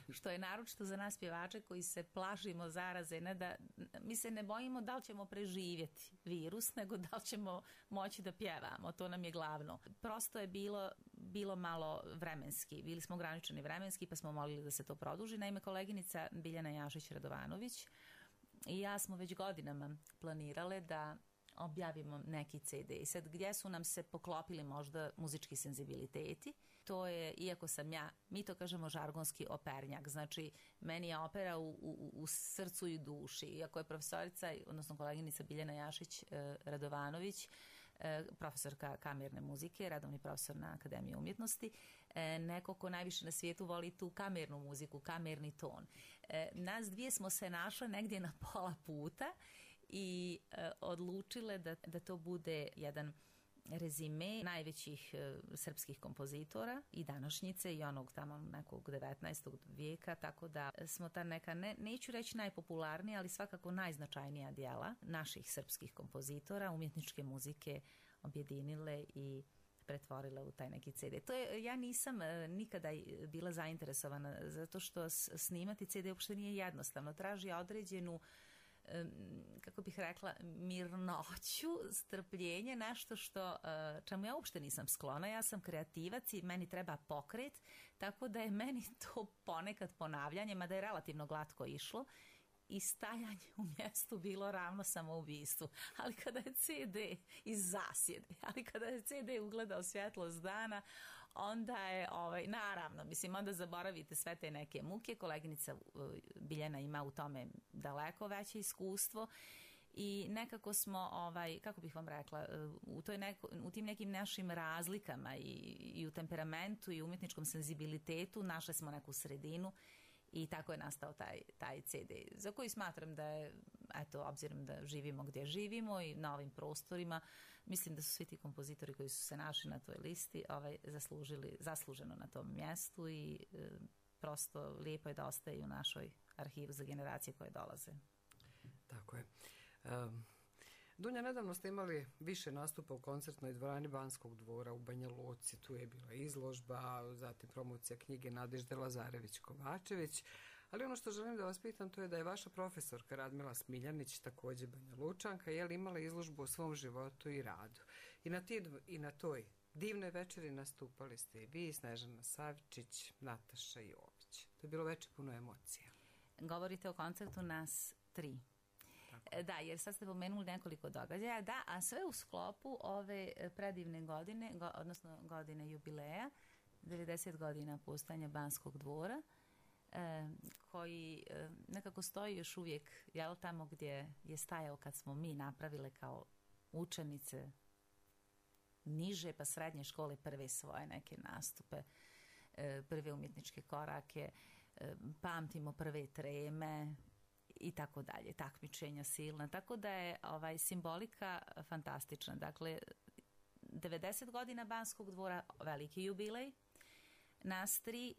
Što je naročito za nas pjevače koji se plašimo zaraze, ne da, mi se ne bojimo da li ćemo preživjeti virus, nego da li ćemo moći da pjevamo, to nam je glavno. Prosto je bilo, bilo malo vremenski, bili smo ograničeni vremenski, pa smo molili da se to produži. Naime, koleginica Biljana Jašić-Radovanović i ja smo već godinama planirale da objavimo neki ce de. I sad, gdje su nam se poklopili možda muzički senzibiliteti, to je, iako sam ja, mi to kažemo žargonski opernjak, znači meni je opera u, u, u srcu i duši. Iako je profesorica, odnosno koleginica Biljana Jašić-Radovanović, profesorka kamerne muzike, radovni profesor na Akademiji umjetnosti, neko ko najviše na svijetu voli tu kamernu muziku, kamerni ton. Nas dvije smo se našle negdje na pola puta i e, odlučile da, da to bude jedan rezime najvećih e, srpskih kompozitora i današnjice i onog tamo nekog devetnaestog vijeka, tako da smo ta neka, ne, neću reći najpopularnija, ali svakako najznačajnija dijela naših srpskih kompozitora, umjetničke muzike objedinile i pretvorile u taj neki ce de. To je, ja nisam e, nikada bila zainteresovana, zato što snimati ce de uopšte nije jednostavno, traži određenu, kako bih rekla, mirnoću, strpljenje, nešto što, čemu ja uopšte nisam sklona. Ja sam kreativac i meni treba pokret, tako da je meni to ponekad ponavljanje, mada je relativno glatko išlo, i stajanje u mjestu bilo ravno samoubistvu. Ali kada je ce de iz zasjede, ali kada je ce de ugledao svjetlost dana, onda je, ovaj, naravno, mislim, onda zaboravite sve te neke muke. Koleginica Biljana ima u tome daleko veće iskustvo i nekako smo, ovaj, kako bih vam rekla, u, toj neko, u tim nekim našim razlikama i, i u temperamentu i umjetničkom senzibilitetu našli smo neku sredinu i tako je nastao taj, taj ce de, za koji smatram da je, eto, obzirom da živimo gdje živimo i na ovim prostorima, mislim da su svi ti kompozitori koji su se našli na toj listi ovaj, zaslužili, zasluženo na tom mjestu i e, prosto lijepo je da ostaje u našoj arhivu za generacije koje dolaze. Tako je. Um, Dunja, nedavno ste imali više nastupa u koncertnoj dvorani Banskog dvora u Banja Luci. Tu je bila izložba, zatim promocija knjige Nadežde Lazarević-Kovačević. Ali ono što želim da vas pitam, to je da je vaša profesorka Radmila Smiljanić, također Banja Lučanka, je li imala izložbu o svom životu i radu. I na, ti, i na toj divnoj večeri nastupali ste i vi, Snežana Savčić, Nataša Jović. To je bilo večer puno emocija. Govorite o koncertu nas tri. Tako. Da, jer sad ste pomenuli nekoliko događaja, da, a sve u sklopu ove predivne godine, go, odnosno godine jubileja, devedeset godina postojanja Banskog dvora, e, koji e, nekako stoji još uvijek, jel, tamo gdje je stajao kad smo mi napravile kao učenice niže pa srednje škole prve svoje neke nastupe, e, prve umjetničke korake, e, pamtimo prve treme i tako dalje, takmičenja silna, tako da je ovaj simbolika fantastična. Dakle, devedeset godina Banskog dvora, veliki jubilej, nas tri,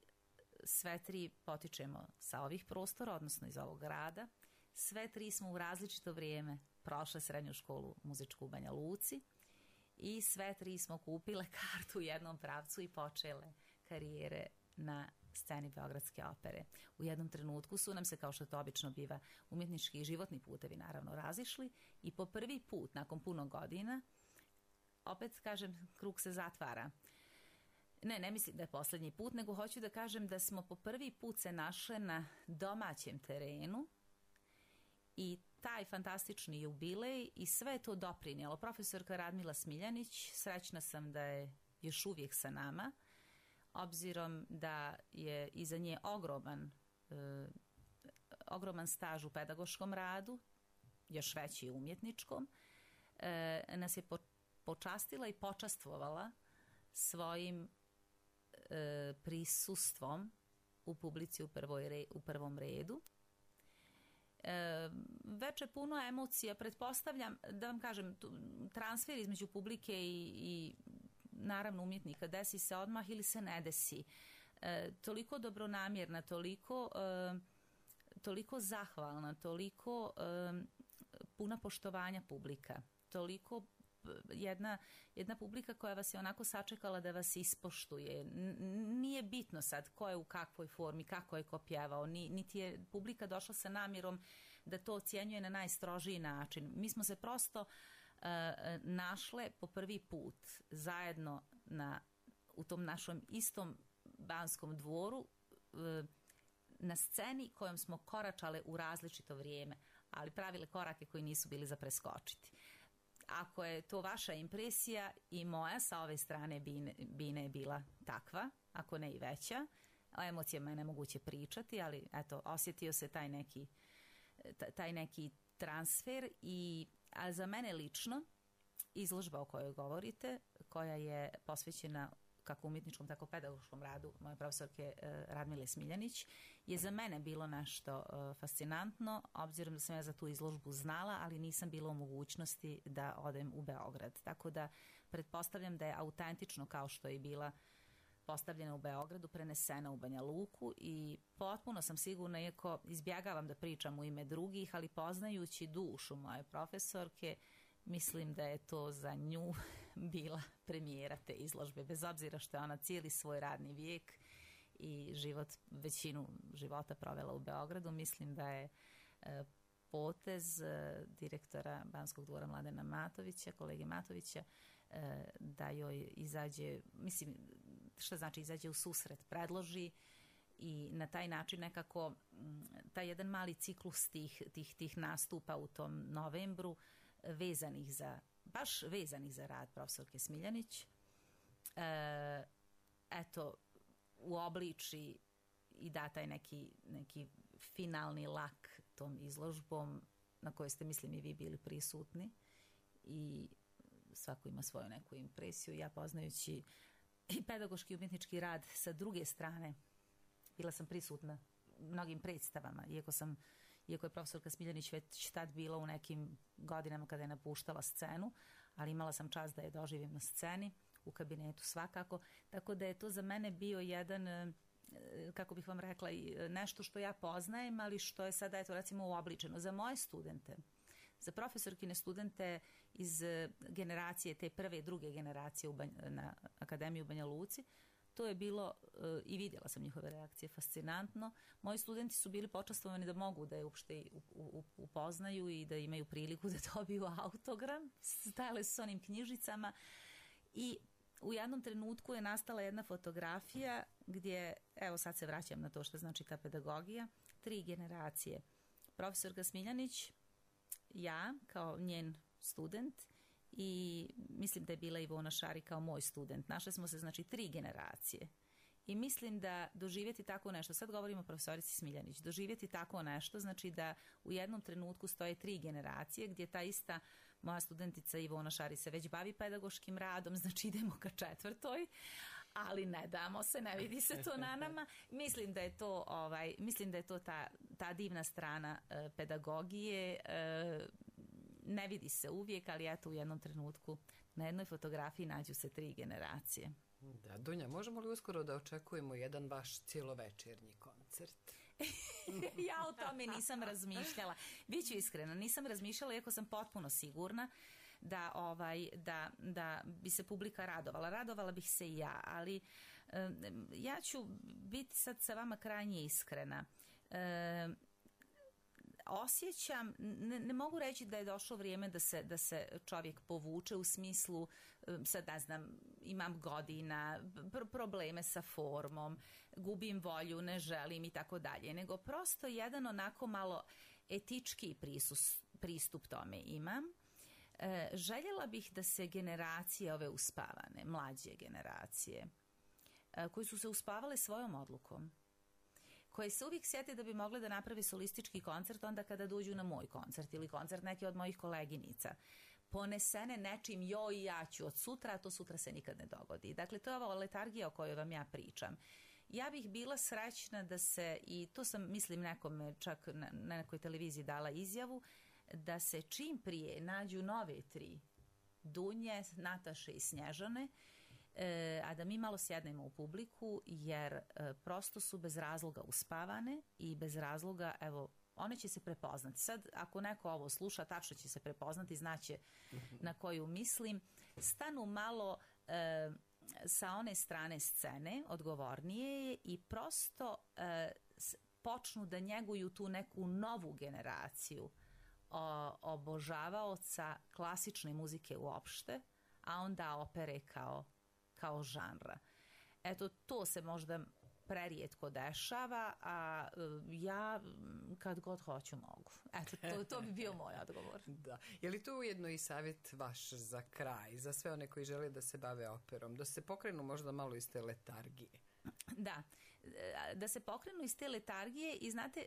sve tri potičemo sa ovih prostora, odnosno iz ovog grada, sve tri smo u različito vrijeme prošle srednju školu muzičku u Banja Luci i sve tri smo kupile kartu u jednom pravcu i počele karijere na sceni Beogradske opere. U jednom trenutku su nam se, kao što to obično biva, umjetnički i životni putevi naravno razišli i po prvi put, nakon puno godina, opet kažem, krug se zatvara. Ne, ne mislim da je posljednji put, nego hoću da kažem da smo po prvi put se našle na domaćem terenu i taj fantastični jubilej i sve je to doprinijelo. Profesorka Radmila Smiljanić, srećna sam da je još uvijek sa nama, obzirom da je iza nje ogroman, e, ogroman staž u pedagoškom radu, još veći u umjetničkom, e, nas je po, počastila i počastvovala svojim e, prisustvom u publici u, prvoj re, u prvom redu. E, veče puno emocija, pretpostavljam, da vam kažem, transfer između publike i, i naravno umjetnika desi se odmah ili se ne desi. E, toliko dobronamjerna, toliko, e, toliko zahvalna, toliko e, puna poštovanja publika, toliko jedna, jedna publika koja vas je onako sačekala da vas ispoštuje. N- nije bitno sad ko je u kakvoj formi, kako je ko pjevao, ni, niti je publika došla sa namjerom da to ocjenjuje na najstrožiji način. Mi smo se prosto uh, našle po prvi put zajedno na, u tom našom istom Banskom dvoru, uh, na sceni kojom smo koračale u različito vrijeme, ali pravile korake koji nisu bili za preskočiti. Ako je to vaša impresija, i moja sa ove strane Bine, Bine je bila takva, ako ne i veća. O emocijama je nemoguće pričati, ali eto, osjetio se taj neki, taj neki transfer. I, a za mene lično, izložba o kojoj govorite, koja je posvećena kako umjetničkom, tako pedagoškom radu moje profesorke Radmile Smiljanić, je za mene bilo nešto fascinantno, obzirom da sam ja za tu izložbu znala, ali nisam bila u mogućnosti da odem u Beograd. Tako da pretpostavljam da je autentično, kao što je bila postavljena u Beogradu, prenesena u Banja Luku, i potpuno sam sigurna, iako izbjegavam da pričam u ime drugih, ali poznajući dušu moje profesorke, mislim da je to za nju bila premijera te izložbe, bez obzira što je ona cijeli svoj radni vijek i život, većinu života provela u Beogradu. Mislim da je e, potez e, direktora Banskog dvora Mladena Matovića, kolege Matovića, e, da joj izađe, mislim, šta znači izađe u susret, predloži i na taj način nekako m, taj jedan mali ciklus tih, tih, tih nastupa u tom novembru, vezanih za, baš vezanih za rad profesorke Smiljanić, e, eto, uobliči i da taj neki, neki finalni lak tom izložbom na kojoj ste, mislim, i vi bili prisutni, i svako ima svoju neku impresiju. Ja, poznajući i pedagoški umjetnički rad sa druge strane, bila sam prisutna u mnogim predstavama, iako sam iako je profesorka Smiljanić već tad bila u nekim godinama kada je napuštala scenu, ali imala sam čast da je doživim na sceni, u kabinetu svakako, tako da je to za mene bio jedan, kako bih vam rekla, nešto što ja poznajem, ali što je sada, eto, recimo, uobličeno. Za moje studente, za profesorkine studente iz generacije, te prve i druge generacije u Banj- na Akademiji u Banja Luci, to je bilo, i vidjela sam njihove reakcije, fascinantno. Moji studenti su bili počastvovani da mogu da je uopšte upoznaju i da imaju priliku da dobiju autogram. Stajale su s onim knjižicama i u jednom trenutku je nastala jedna fotografija gdje, evo sad se vraćam na to što znači ta pedagogija, tri generacije. Profesorka Smiljanić, ja kao njen student, i mislim da je bila Ivona Šari kao moj student. Našle smo se, znači, tri generacije. I mislim da doživjeti tako nešto, sad govorimo o profesorici Smiljanić, doživjeti tako nešto znači da u jednom trenutku stoje tri generacije, gdje ta ista moja studentica Ivona Šari se već bavi pedagoškim radom, znači idemo ka četvrtoj, ali ne damo se, ne vidi se to na nama. Mislim da je to, ovaj, mislim da je to ta, ta divna strana e, pedagogije, e, ne vidi se uvijek, ali eto, u jednom trenutku na jednoj fotografiji nađu se tri generacije. Da, Dunja, možemo li uskoro da očekujemo jedan vaš cijelovečernji koncert? Ja o tome nisam razmišljala. Biću iskrena, nisam razmišljala, iako sam potpuno sigurna da, ovaj, da, da bi se publika radovala. Radovala bih se i ja, ali um, ja ću biti sad sa vama krajnje iskrena. Um, osjećam, ne, ne mogu reći da je došlo vrijeme da se, da se čovjek povuče u smislu, sad ne znam, imam godina, pr- probleme sa formom, gubim volju, ne želim i tako dalje, nego prosto jedan onako malo etički prisus, pristup tome imam. E, željela bih da se generacije ove uspavane, mlađe generacije, e, koji su se uspavale svojom odlukom, koje se uvijek sjete da bi mogle da naprave solistički koncert onda kada dođu na moj koncert ili koncert neke od mojih koleginica, ponesene nečim joj ja ću od sutra, a to sutra se nikad ne dogodi. Dakle, to je ova letargija o kojoj vam ja pričam. ja bih bila srećna da se, i to sam mislim nekome čak na, na nekoj televiziji dala izjavu, da se čim prije nađu nove tri, Dunje, Nataše i Snježane, e, a da mi malo sjednemo u publiku, jer e, prosto su bez razloga uspavane i bez razloga, evo, one će se prepoznati. Sad, ako neko ovo sluša, tačno će se prepoznati, znaće na koju mislim. Stanu malo e, sa one strane scene, odgovornije, i prosto e, počnu da njeguju tu neku novu generaciju o, obožavaoca klasične muzike uopšte, a onda opere kao, kao žanra. Eto, to se možda prerijetko dešava, a ja kad god hoću mogu. Eto, to, to bi bio moj odgovor. Da. Je li to ujedno i savjet vaš za kraj, za sve one koji žele da se bave operom, da se pokrenu možda malo iz te letargije? Da, da se pokrenu iz te letargije i znate,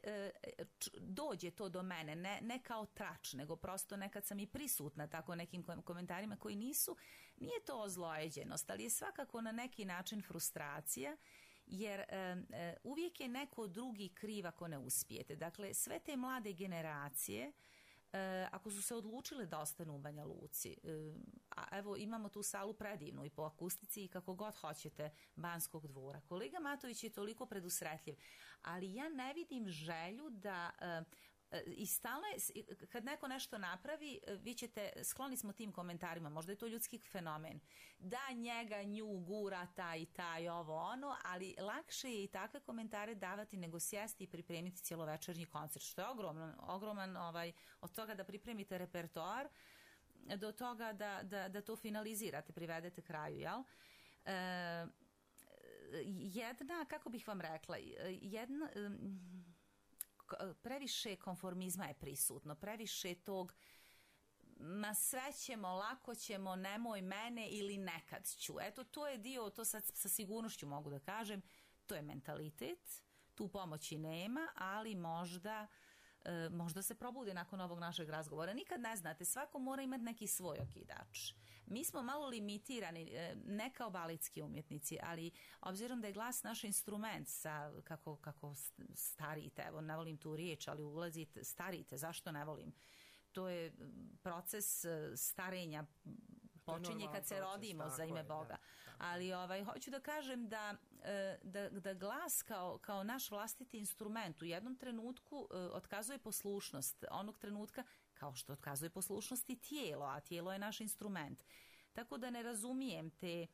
dođe to do mene, ne, ne kao trač, nego prosto nekad sam i prisutna tako nekim komentarima koji nisu, nije to ozlojeđenost, ali je svakako na neki način frustracija, jer e, uvijek je neko drugi kriv ako ne uspijete. Dakle, sve te mlade generacije, e, ako su se odlučile da ostanu u Banja Luci, e, a evo imamo tu salu predivnu i po akustici i kako god hoćete Banskog dvora. Kolega Matović je toliko predusretljiv, ali ja ne vidim želju da... E, i stalno je, kad neko nešto napravi, vi ćete, skloni smo tim komentarima, možda je to ljudski fenomen, da njega, nju, gura, taj, taj, ovo, ono, ali lakše je i takve komentare davati nego sjesti i pripremiti cjelovečernji koncert, što je ogroman, ogroman ovaj, od toga da pripremite repertoar do toga da, da, da to finalizirate, privedete kraju, jel? E, jedna, kako bih vam rekla, jedna... previše konformizma je prisutno, previše tog ma sve ćemo, lako ćemo, nemoj mene ili nekad ću. Eto, to je dio, to sad sa sigurnošću mogu da kažem, to je mentalitet, tu pomoći nema, ali možda, e, možda se probude nakon ovog našeg razgovora. Nikad ne znate, svako mora imati neki svoj okidač. Mi smo malo limitirani, ne kao baletski umjetnici, ali obzirom da je glas naš instrument, sa, kako, kako starite, evo ne volim tu riječ, ali ulazite, starite, zašto ne volim? To je proces starenja, počinje kad se rodimo, za ime Boga. Ali ovaj, hoću da kažem da, da, da glas kao, kao naš vlastiti instrument u jednom trenutku otkazuje poslušnost, onog trenutka kao što otkazuje poslušnost i tijelo, a tijelo je naš instrument. Tako da ne razumijem te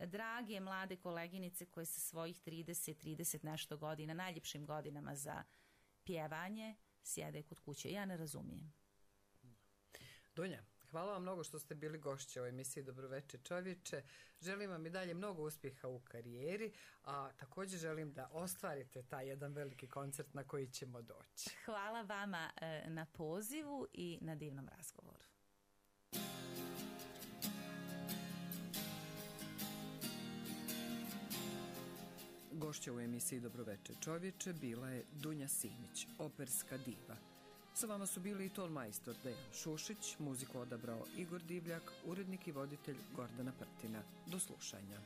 drage mlade koleginice koje sa svojih trideset, trideset nešto godina, najljepšim godinama za pjevanje, sjede kod kuće. Ja ne razumijem. Dunja, hvala vam mnogo što ste bili gošće u emisiji Dobroveče čovječe. Želim vam i dalje mnogo uspjeha u karijeri, a također želim da ostvarite taj jedan veliki koncert na koji ćemo doći. Hvala vama na pozivu i na divnom razgovoru. Gošća u emisiji Dobroveče čovječe bila je Dunja Simić, operska diva. Sa vama su bili i tonmajstor Dejan Šušić, muziku odabrao Igor Divljak, urednik i voditelj Gordana Prtina. Do slušanja.